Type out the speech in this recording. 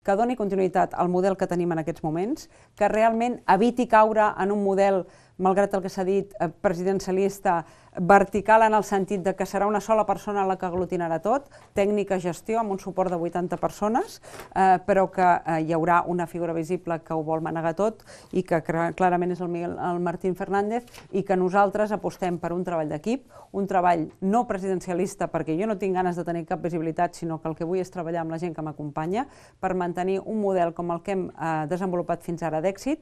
que doni continuïtat al model que tenim en aquests moments, que realment eviti caure en un model, malgrat el que s'ha dit, presidencialista, vertical en el sentit de que serà una sola persona la que aglutinarà tot, tècnica gestió amb un suport de 80 persones, però que hi haurà una figura visible que ho vol manegar tot i que clarament és el Martín Fernández, i que nosaltres apostem per un treball d'equip, un treball no presidencialista, perquè jo no tinc ganes de tenir cap visibilitat, sinó que el que vull és treballar amb la gent que m'acompanya per mantenir un model com el que hem desenvolupat fins ara d'èxit,